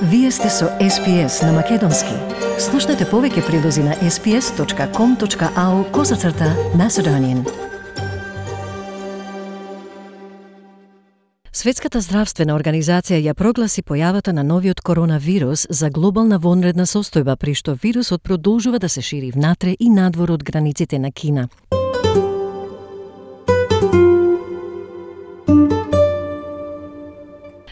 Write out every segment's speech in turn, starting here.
Вие сте со SPS на Македонски. Слушнете повеќе прилози на sps.com.au/Macedonian. Светската здравствена организација ја прогласи појавата на новиот коронавирус за глобална вонредна состојба, при што вирусот продолжува да се шири внатре и надвор од границите на Кина.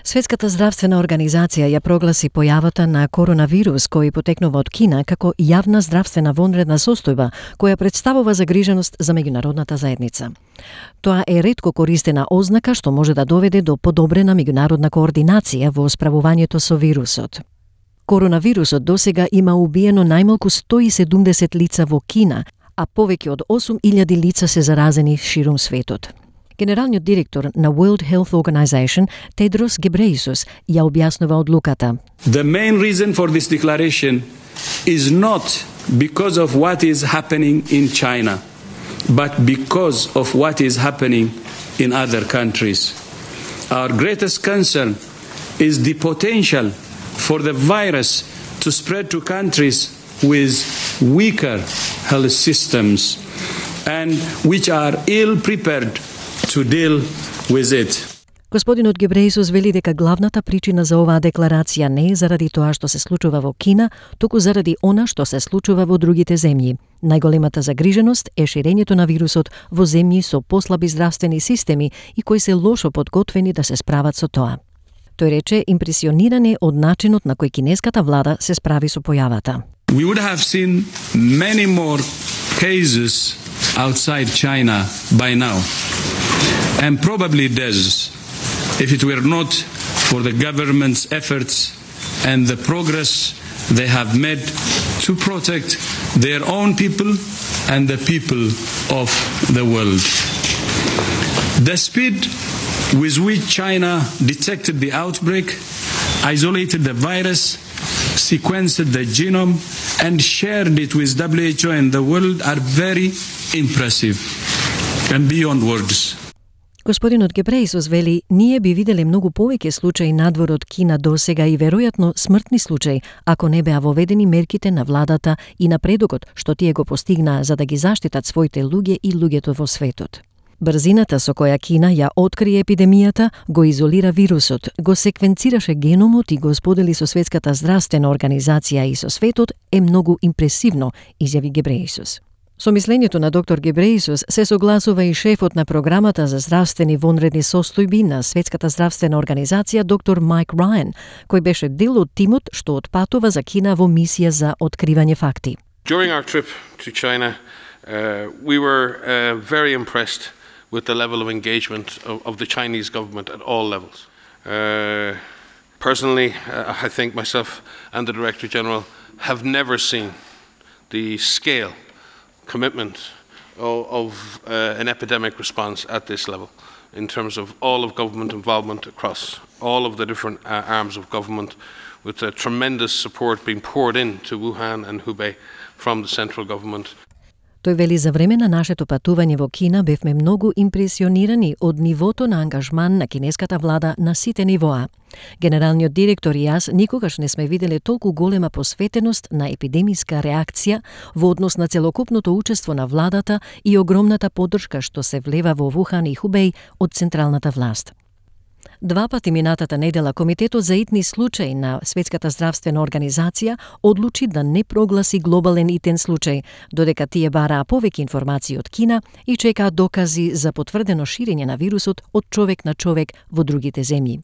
Светската здравствена организација ја прогласи појавата на коронавирус кој потекнува од Кина како јавна здравствена вонредна состојба која представува загриженост за меѓународната заедница. Тоа е ретко користена ознака што може да доведе до подобрена меѓународна координација во справувањето со вирусот. Коронавирусот досега има убиено најмалку 170 лица во Кина, а повеќе од 8000 лица се заразени ширум светот. Генералниот директор на World Health Organization, Tedros Ghebreyesus, ја објаснува одлуката. The main reason for this declaration is not because of what is happening in China, but because of what is happening in other countries. Our greatest concern is the potential for the virus to spread to countries with weaker health systems and which are ill prepared to deal with it. Господинот Гебрејсус вели дека главната причина за оваа декларација не е заради тоа што се случува во Кина, туку заради она што се случува во другите земји. Најголемата загриженост е ширењето на вирусот во земји со послаби здравствени системи и кои се лошо подготвени да се справат со тоа. Тој рече импресиониран е од начинот на кој кинеската влада се справи со појавата. We would have seen many more cases outside China by now, and probably deaths, if it were not for the government's efforts and the progress they have made to protect their own people and the people of the world. The speed with which China detected the outbreak, isolated the virus, sequenced the genome, and shared it with WHO and the world are very impressive and beyond words. Господинот Гебрејсус вели, ние би виделе многу повеќе случаи надвор од Кина досега и веројатно смртни случаи, ако не беа воведени мерките на владата и напредокот што тие го постигнаа за да ги заштитат своите луѓе и луѓето во светот. Брзината со која Кина ја откри епидемијата, го изолира вирусот, го секвенцираше геномот и го сподели со Светската здравствена организација и со светот е многу импресивно, изјави Гебрејсус. Со мислењето на доктор Гебрејсус се согласува и шефот на програмата за здравствени вонредни состојби на Светската здравствена организација доктор Майк Рајан, кој беше дел од тимот што отпатува за Кина во мисија за откривање факти. During our trip to China, we were very impressed with the level of engagement of the Chinese government at all levels. Personally, I think myself and the Director General have never seen the scale, commitment of an epidemic response at this level in terms of all of government involvement across all of the different arms of government, with tremendous support being poured into Wuhan and Hubei from the central government. Тој вели, за време на нашето патување во Кина бевме многу импресионирани од нивото на ангажман на кинеската влада на сите нивоа. Генералниот директор и јас никогаш не сме виделе толку голема посветеност на епидемиска реакција во однос на целокупното учество на владата и огромната поддршка што се влева во Вухан и Хубеј од централната власт. Два пати минатата недела Комитетот за итни случаи на Светската здравствена организација одлучи да не прогласи глобален итен случај, додека тие бараа повеќе информации од Кина и чекаа докази за потврдено ширење на вирусот од човек на човек во другите земји.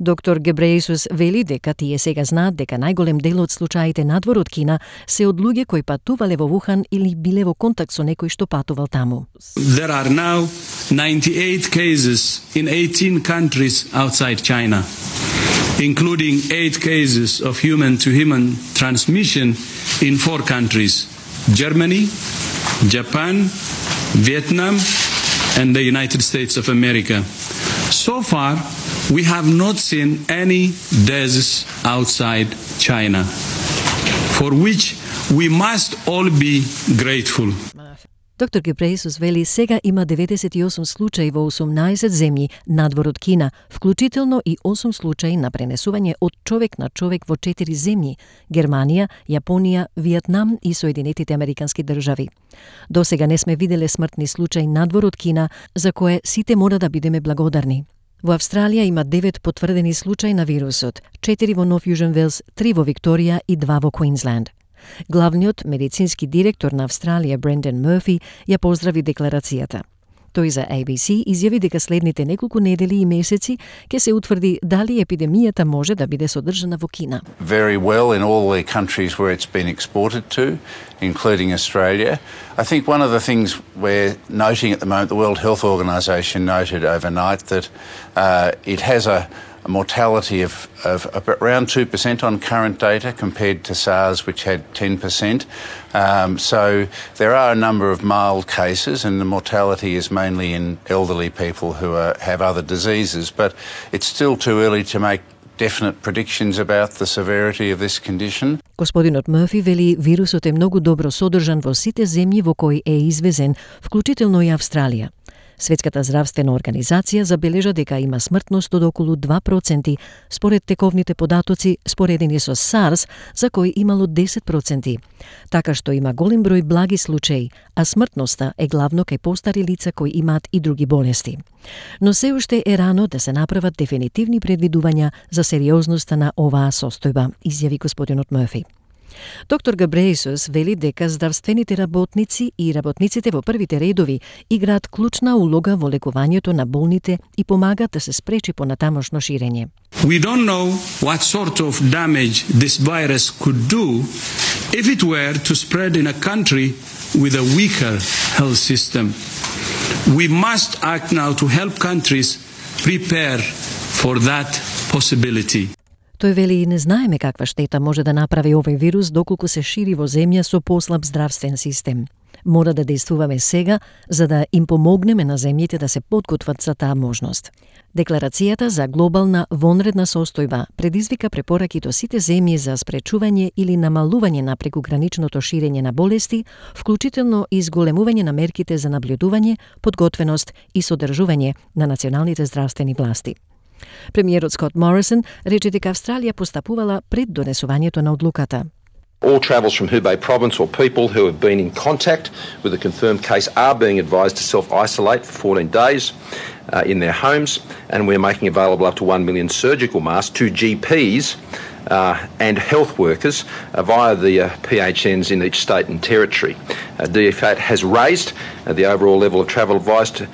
Доктор Гебрејсус вели дека тие сега знаат дека најголем дел од случаите надвор од Кина се од луѓе кои патувале во Вухан или биле во контакт со некој што патувал таму. There are now 98 cases in 18 countries outside China, including 8 cases of human-to-human transmission in 4 countries: Germany, Japan, Vietnam, and the United States of America. So far, we have not seen any deaths outside China, for which we must all be grateful. Доктор Гебрејесус вели сега има 98 случаи во 18 земји надвор од Кина, вклучително и 8 случаи на пренесување од човек на човек во 4 земји – Германија, Јапонија, Виетнам и Соединетите Американски држави. До сега не сме виделе смртни случаи надвор од Кина, за кое сите мора да бидеме благодарни. Во Австралија има 9 потврдени случаи на вирусот, 4 во Нов Јужен Велс, 3 во Викторија и 2 во Квинсленд. Главниот медицински директор на Австралија, Брендан Мърфи, ја поздрави декларацијата. Тој за ABC изјави дека следните неколку недели и месеци ќе се утврди дали епидемијата може да биде содржана во Кина. Very well in all the countries where it's been exported to, including Australia. I think one of the things we're noting at the moment, the World Health Organization noted overnight that it has a mortality of around 2% on current data compared to SARS, which had 10%. So there are a number of mild cases, and the mortality is mainly in elderly people who have other diseases. But it's still too early to make definite predictions about the severity of this condition. Господинот Мърфи вели вирусот е многу добро содржан во сите земји во кои е извезен, вклучително и Австралија. Светската здравствена организација забележа дека има смртност од околу 2%, според тековните податоци споредени со SARS, за кој имало 10%. Така што има голем број благи случаи, а смртноста е главно кај постари лица кои имаат и други болести. Но се уште е рано да се направат дефинитивни предвидувања за сериозноста на оваа состојба, изјави господинот Мърфи. Доктор Гебрејесус вели дека здравствените работници и работниците во првите редови играат клучна улога во лекувањето на болните и помагаат да се спречи понатамошно ширење. We don't know what sort of damage this virus could do if it were to spread in a country with a weaker health system. We must act now to help countries prepare for that possibility. Тој вели и не знаеме каква штета може да направи овој вирус доколку се шири во земја со послаб здравствен систем. Мора да действуваме сега за да им помогнеме на земјите да се подготват за таа можност. Декларацијата за глобална вонредна состојба предизвика препораки до сите земји за спречување или намалување на прекуграничното ширење на болести, вклучително и зголемување на мерките за наблюдување, подготвеност и содржување на националните здравствени власти. Премиерот Скот Морисон рече дека Австралија постапувала пред донесувањето на одлуката. All travels from Hubei province or people who have been in contact with a confirmed case are being advised to self-isolate for 14 days in their homes, and we're making available up to 1 million surgical masks to GPs and health workers via the PHNs in each state and territory. DFAT has raised the overall level of travel advised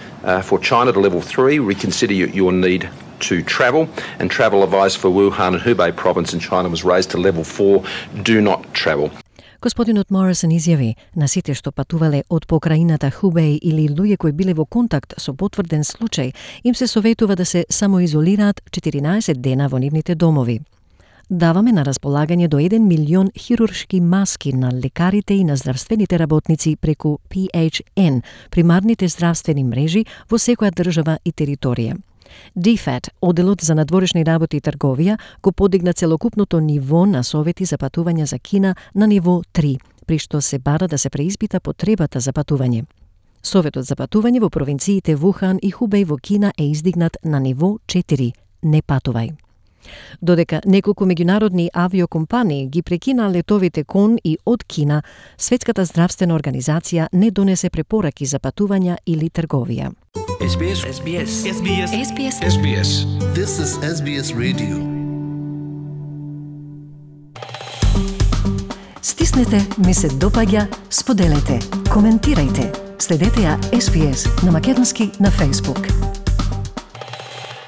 for China to level 3. Reconsider your need to travel, and travel advice for Wuhan and Hubei province in China was raised to level 4, do not travel. Господинот Морисон изјави на сите што патувале од покраината Хубеј или луѓе кои биле во контакт со потврден случај, им се советува да се самоизолираат 14 дена во нивните домови. Даваме на располагање до 1 милион хируршки маски на лекарите и на здравствените работници преку PHN, примарните здравствени мрежи во секоја држава и територија. DFAT, Оделот за надворешни работи и трговија, го подигна целокупното ниво на совети за патување за Кина на ниво 3, при што се бара да се преиспита потребата за патување. Советот за патување во провинциите Вухан и Хубеј во Кина е издигнат на ниво 4, не патувај. Додека неколку меѓународни авиокомпании ги прекина летовите кон и од Кина, Светската здравствена организација не донесе препораки за патувања или трговија. SBS. This is SBS Radio. Стиснете, ми се допаѓа, споделете, коментирајте. Следете ја SBS на македонски на Facebook.